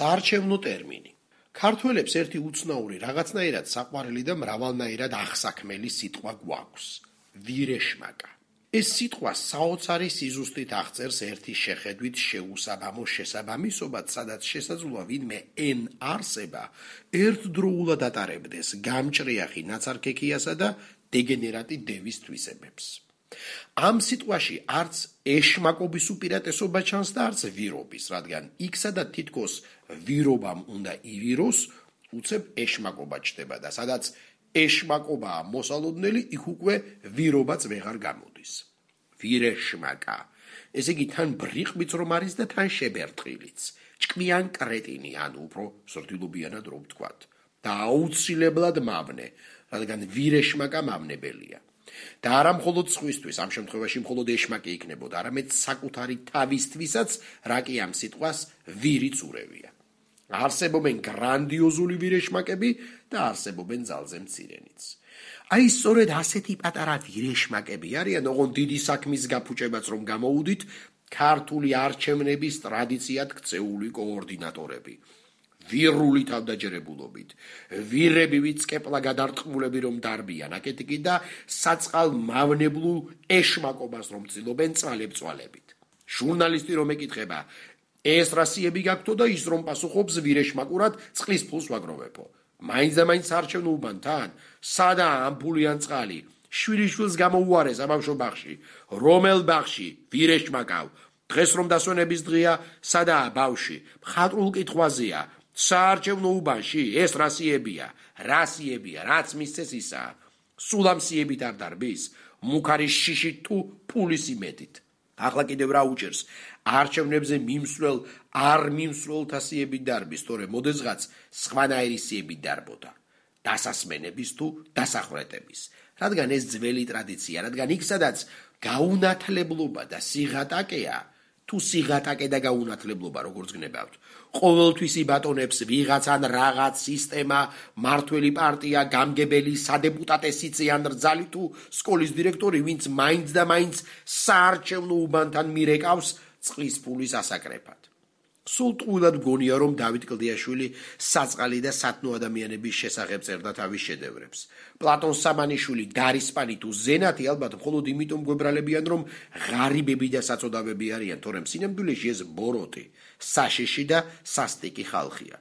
საარჩევნო ტერმინი. ქართველებს ერთი უცნაური რაღაცნაირად საყვარელი და მრავალნაირად აღსაქმელი სიტყვა გვაქვს. ვირეშმაკა. ეს სიტყვა საოცარი სიზუსტით აღწერს ერთი შეხედვით შეუსაბამო შესაბამისობად, სადაც შესაძლოა ვინმე n არსება ერთდროულად ატარებდეს გამჭრიახი ნაცარქექიასა და დეგენერატი დევის თვისებებს. ამ სიტყვაში არც ეშმაკობის უპირატესობა ჩანს და არც ვირობის, რადგან იქ სადაც თითქოს ვირობამ უნდა ივიროს, უცებ ეშმაკობა ჩდება და სადაც ეშმაკობაა მოსალოდნელი, იქ უკვე ვირობაც ვეღარ გამოდის. ვირეშმაკა. ესე იგი თან ბრიყვიც რომ არის და თან შებერტყილიც. ჭკვიან კრეტინი, ანუ უფრო სრდილობიანად რომ ვთქვათ. და აუცილებლად მავნე, რადგან ვირეშმაკა მავნებელია. და არა მხოლოდ სხვისთვის, ამ შემთხვევაში მხოლოდ ეშმაკი იქნებოდა, არამედ საკუთარი თავისთვისაც, რა კი ამ სიტყვას ვირიც ურევია. არსებობენ გრანდიოზული ვირეშმაკები და არსებობენ ძალზე მცირენიც. აი სწორედ ასეთი პატარა ვირეშმაკები არიან, ოღონდ დიდი საქმის გაფუჭებაც რომ გამოუდით, ქართული არჩევნების ტრადიციად ქცეული კოორდინატორები. ვირული თავდაჯერებულობით, ვირები ვიწკეპლა გადარტყმულები რომ დარბიან, აქეთი კი და საწყალ მავნებლულ ეშმაკობას რომ ცდილობენ წვალებ-წვალებით. ჟურნალისტი რომ ეკითხება, ეს რასიები გაქვთო და ის რომ პასუხობს ვირეშმაკურად წყლის ფულს ვაგროვებო. მაინც და მაინც საარჩევნო უბანთან, სადაა ამ ფული ან წყალი, შვილიშვილს გამოუარეს საბავშვო ბაღში, რომელ ბაღში, ვირეშმაკავ, დღეს რომ დასვენების დღეა, სადაა ბავში, მხატვრულ კითხვაზეა, საარჩევნო უბანში, ეს რასიებია, რაც მისცეს ისაა, სულ ამ სიებით არ დარბის, მუქარის შიშით თუ ფულის იმედით. ახლა კიდევ რა უჭერს, არჩევნებზე მიმსვლელ არ მიმსვლელთა სიებით დარბის, თორე მოდესღაც სხვანაირი სიებით დარბოდა, დასასმენების თუ დასახვრეტების, რადგან ეს ძველი ტრადიცია, რადგან იქ სადაც გაუნათლებლობა და სიღატაკეა, თუ სიღატაკე და გაუნათლებლობა როგორც გნებავთ, ყოველთვის იბატონებს ვიღაც ან რაღაც სისტემა, მართველი პარტია, გამგებელი, სადეპუტატესიცე ან რძალი თუ სკოლის დირექტორი, ვინც მაინც და მაინც საარჩევნო უბანთან მირეკავს წყლის ფულის ასაკრეფად. სულ ტყუილად მგონია, რომ დავით კლდიაშვილი საწყალი და სათნო ადამიანების შესახებ წერდა თავის შედევრებს. პლატონ სამანიშვილი, დარისპანი თუ ზენათი ალბათ მხოლოდ იმიტომ გვებრალებიან, რომ ღარიბები და საწოდავები არიან, თორემ სინამდვილეში ეს ბოროტი, საშიში და სასტიკი ხალხია.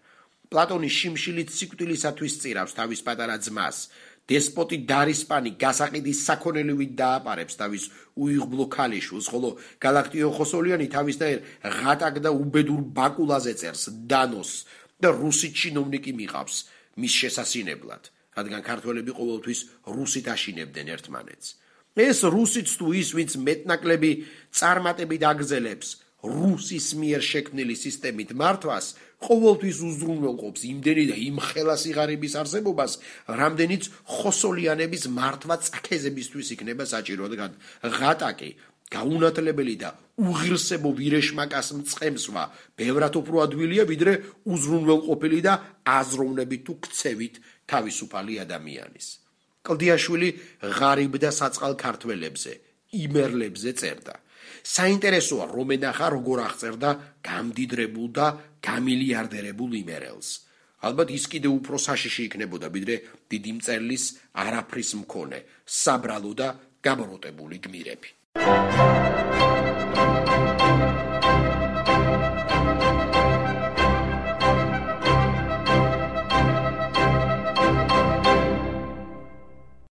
პლატონი შიმშილით სიკვდილისათვის წირავს თავის პატარა ძმას. დესპოტი დარისპანი გასაყიდის საქონელივით დააპარებს თავის უიღბლო ქალიშვილს, ხოლო გალაქტიო ხოსოლიანი თავისდაერ ღატაკ და უბედურ ბაკულაზე წერს დანოს და რუსი ჩინოვნიკი მიყავს მის შესასინებლად, რადგან ქართველები ყოველთვის რუსით აშინებდნენ ერთმანეთს. ეს რუსიც თუ ის, ვინც მეტნაკლები წარმატებით აგზელებს რუსის მიერ შექმნილი სისტემით მართვას, ყოველთვის უზრუნველყოფს იმდენი და იმ ხელას იღარიბის არსებობას, რამდენიც ხოსოლიანების მართვა წაქეზებისთვის იქნება საჭირო, რადგან ღატაკი, გაუნათლებელი და უღირსებო ვირეშმაკას მწყემსვა ბევრად უფრო ადვილია, ვიდრე უზრუნველყოფილი და აზროვნებით თუ ქცევით თავისუფალი ადამიანის. კლდიაშვილი ღარიბ და საწყალ ქართველებზე, იმერლებზე წერდა. საინტერესოა რომ ენახა როგორ აღწერდა გამდიდრებულ და გამილიარდერებულ იმერელს. ალბათ ის კიდევ უფრო საშიში იქნებოდა, ვიდრე დიდი მწერლის არაფრის მქონე, საბრალო და გაბროტებული გმირები.